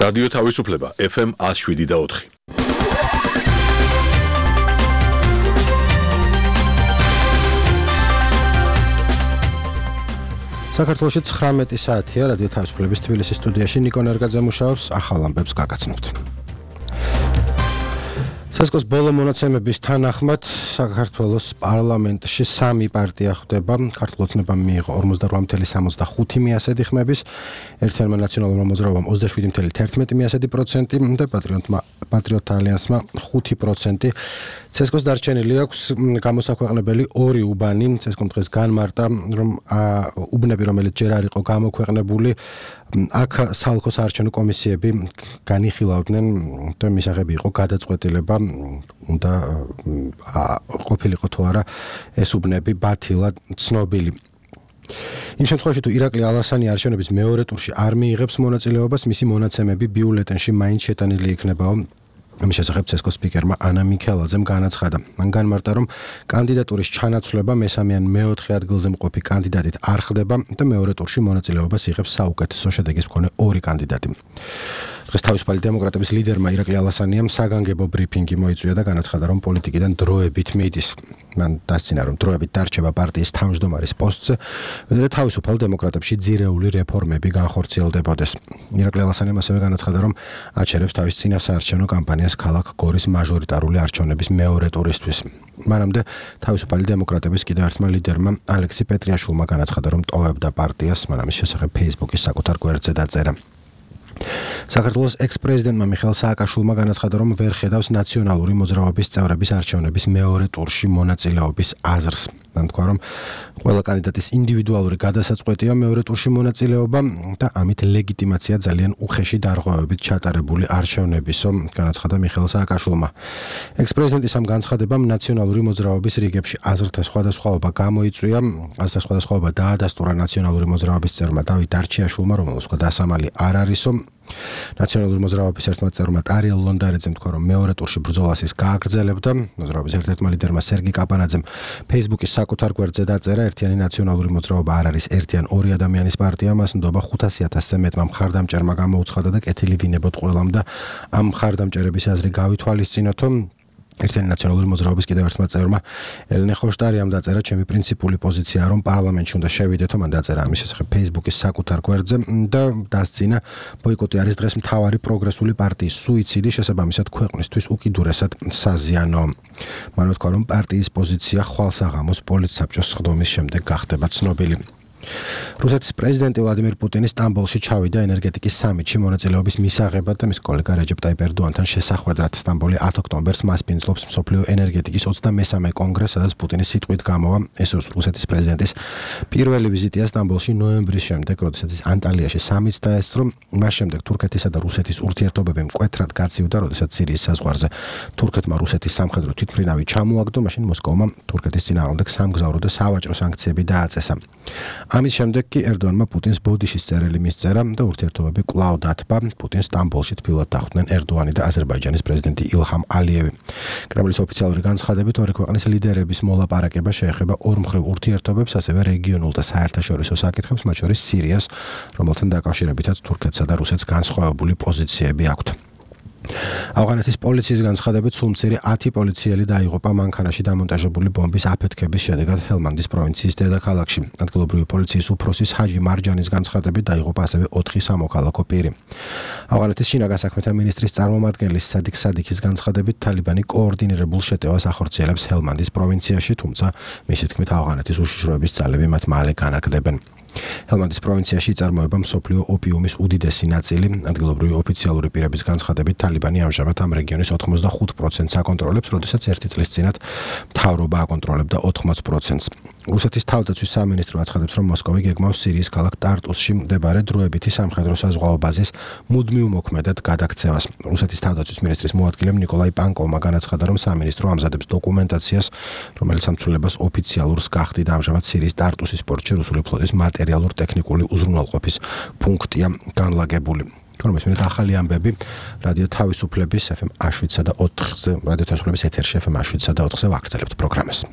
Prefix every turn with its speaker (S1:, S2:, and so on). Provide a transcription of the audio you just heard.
S1: რადიო თავისუფლება FM 107.4.
S2: საქართველოში 19 საათია რადიო თავისუფლების თბილისის სტუდიაში ნიკო ნერგაძე მუშაობს, ახალ ამბებს გაგაცნობთ. სესკოს ბოლო მონაცემების თანახმად საქართველოს პარლამენტში 3 პარტია ხვდება. ქართულ ოცნებამ მიიღო 48,65 მიასედი ხმების, ერთიანმა ნაციონალურმა მოძრაობამ 27,11% და პატრიოტ ალიანსმა 5%. სესკოს დარჩენილი აქვს გამოსაქვეყნებელი 2 უბანი. სესკომ დღეს განმარტა, რომ უბნები, რომელიც ჯერ არ იყო გამოქვეყნებული, აქ საოლქო საარჩევნო კომისიები განიხილავდნენ და მისაღები იყო გადაწყვეტილება, უნდა ყოფილიყო თუ არა ეს უბნები ბათილად ცნობილი. იმ შემთხვევაში თუ ირაკლი ალასანი არჩევნების მეორე ტურში არ მიიღებს მონაწილეობას, მისი მონაცემები ბიულეტენში მაინც შეტანილი იქნებაო. ამის შესახებ სესკოს სპიკერმა ანა მიქელაძემ განაცხადა. მან განმარტა, რომ კანდიდატურის ჩანაცვლება მესამე ან მეოთხე ადგილზე მყოფი კანდიდატით არ ხდება და მეორე ტურში მონაწილეობას იღებს საუკეთესო შედეგის მქონე 2 კანდიდატი. დღეს თავისუფალი დემოკრატების ლიდერმა ირაკლი ალასანიამ საგანგებო ბრიფინგი მოიწვია და განაცხადა, რომ პოლიტიკიდან დროებით მიდის. მან დასცინა, რომ დროებით დარჩება პარტიის თავმჯდომარის პოსტზე, და თავისუფალ დემოკრატებში ძირეული რეფორმები განხორციელდებოდეს. ირაკლი ალასანიამ ასევე განაცხადა, რომ აჩერებს თავის წინა საარჩევნო კამპანიას ქალაქ გორის მაჟორიტარული არჩევნების მეორე ტურისთვის. მანამდე თავისუფალი დემოკრატების კიდევ ერთმა ლიდერმა ალექსი პეტრიაშვილმა განაცხადა, რომ ტოვებდა პარტიას, მან ამის შესახებ Facebook-ის საკუთარ გვერდზე დაწერა. საქართველოს ექს-პრეზიდენტმა მიხეილ სააკაშვილმა განაცხადა, რომ ვერ ხედავს ნაციონალური მოძრაობის წევრების არჩევნების მეორე ტურში მონაწილეობის აზრს. მან თქვა, რომ ყველა კანდიდატის ინდივიდუალური გადასაწყვეტია მეორე ტურში მონაწილეობა და ამით ლეგიტიმაცია ძალიან უხეში დარღვევებით ჩატარებული არჩევნებისო, განაცხადა მიხეილ სააკაშვილმა. ექს-პრეზიდენტის ამ განცხადებამ ნაციონალური მოძრაობის რიგებში აზრთა სხვადასხვაობა გამოიწვია. აზრთა სხვადასხვაობა დაადასტურა ნაციონალური მოძრაობის წევრმა დავით დარჩიაშვილმა, რომელსაც თქვა დასამალი არ არისო. ნაციონალური მოძრაობის ერთმა წევრმა ტარიელ ლონდარეძემ თქვა, რომ მეორე ტურში ბრძოლას ის გააგრძელებდა. მოძრაობის ერთ-ერთმა ლიდერმა სერგი კაპანაძემ Facebook-ის საკუთარ გვერდზე დაწერა, ერთიანი ნაციონალური მოძრაობა არ არის ერთიან 2 ადამიანის პარტია, მას ნდობა 500,000-ზე მეტმა მხარდამჭერმა გამოუცხადა და კეთილი ვინებოთ ყველამ და ამ მხარდამჭერების აზრი გავითვალისწინოთო. ერთიანი ნაციონალური მოძრაობის კიდევ ერთმა წევრმა ელენე ხოშტარიამ დაწერა, ჩემი პრინციპული პოზიციაა, რომ პარლამენტში უნდა შევიდეთო. მან დაწერა ამის შესახებ Facebook-ის საკუთარ გვერდზე და დასცინა, ბოიკოტი არის დღეს მთავარი პროგრესული პარტიის სუიციდი, შესაბამისად ქვეყნისთვის უკიდურესად საზიანო. მან თქვა, რომ პარტიის პოზიცია ხვალსაღამოს პოლიტსაბჭოს სხდომის შემდეგ გახდება ცნობილი. რუსეთის პრეზიდენტი ვლადიმირ პუტინი სტამბოლში ჩავიდა ენერგეტიკის სამიტში მონაწილეობის მისაღებად და მის კოლეგა რეჯეპ ტაიპ ერდოანთან შესახვედრად. სტამბოლი 10 ოქტომბერს მასპინძლობს მსოფლიო ენერგეტიკის 23-მე კონგრესს, სადაც პუტინის სიტყვით გამოვა. ეს რუსეთის პრეზიდენტის პირველი ვიზიტია სტამბოლში ნოემბრის შემდეგ, როდესაც ის ანტალიაში სამიტს დაესწრო. მას შემდეგ თურქეთისა და რუსეთის ურთიერთობები მკვეთრად გაცივდა, როდესაც სირიის საზღვარზე თურქეთმა რუსეთის სამხედრო თვითმფრინავი ჩამოაგდო, მაშინ მოსკოვმა თურქეთის წინააღმდეგ სამგზავრო და სავაჭრო სანქციები დააწესა. ამის შემდეგ კი ერდოანმა პუტინს ბოდიშის წერილი მისწერა და ურთიერთობები კვლავ დათბა. პუტინს სტამბოლში თბილად დახვდნენ ერდოანი და აზერბაიჯანის პრეზიდენტი ილჰამ ალიევი. კრემლის ოფიციალური განცხადებით, ორი ქვეყნის ლიდერების მოლაპარაკება შეეხება ორმხრივ ურთიერთობებს, ასევე რეგიონულ და საერთაშორისო საკითხებს, მათ შორის სირიას, რომელთან დაკავშირებითაც თურქეთსა და რუსეთს განსხვავებული პოზიციები აქვთ. ავღანეთის პოლიციის განცხადებით, სულ მცირე 10 პოლიციელი დაიღუპა მანქანაში დამონტაჟებული ბომბის აფეთქების შედეგად ჰელმანდის პროვინციის დედაქალაქში. ადგილობრივი პოლიციის უფროსის ჰაჯი მარჯანის განცხადებით დაიღუპა ასევე 4 სამოქალაქო პირი. ავღანეთის შინაგან საქმეთა მინისტრის წარმომადგენლის სადიქ სადიქის განცხადებით, თალიბანი კოორდინირებულ შეტევას ახორციელებს ჰელმანდის პროვინციაში, თუმცა მისი თქმით ავღანეთის უშიშროების ძალები მათ მალე განაგდებენ. ჰელმანდის პროვინციაში იწარმოება მსოფლიო ოპიუმის უდიდესი ნაწილი. ადგილობრივი ოფიციალური პირების განცხადებით, თალიბანი ამჟამად ამ რეგიონის 85%-ს აკონტროლებს, როდესაც 1 წლის წინათ მთავრობა აკონტროლებდა 80%-ს. რუსეთის თავდაცვის სამინისტრო აცხადებს, რომ მოსკოვი გეგმავს სირიის ქალაქ ტარტუსში მდებარე დროებითი სამხედრო საზღვაო ბაზის მუდმივ მოქმედად გადაქცევას. რუსეთის თავდაცვის მინისტრის მოადგილემ ნიკოლაი პანკოვმა განაცხადა, რომ სამინისტრო ამზადებს დოკუმენტაციას, რომელიც ამცვლელებას ოფიციალურს გახდით. ამჟამად სირიის ტარტუსის პორტში რუსული ფლოტის მატერიალურ-ტექნიკური უზრუნველყოფის პუნქტია განლაგებული. Informēsimies ახალი ამბები რადიო თავისუფლების FM 107.4-ზე, რადიო თავისუფლების ეთერში FM 107.4-ზე ვაგრძელებთ პროგრამას.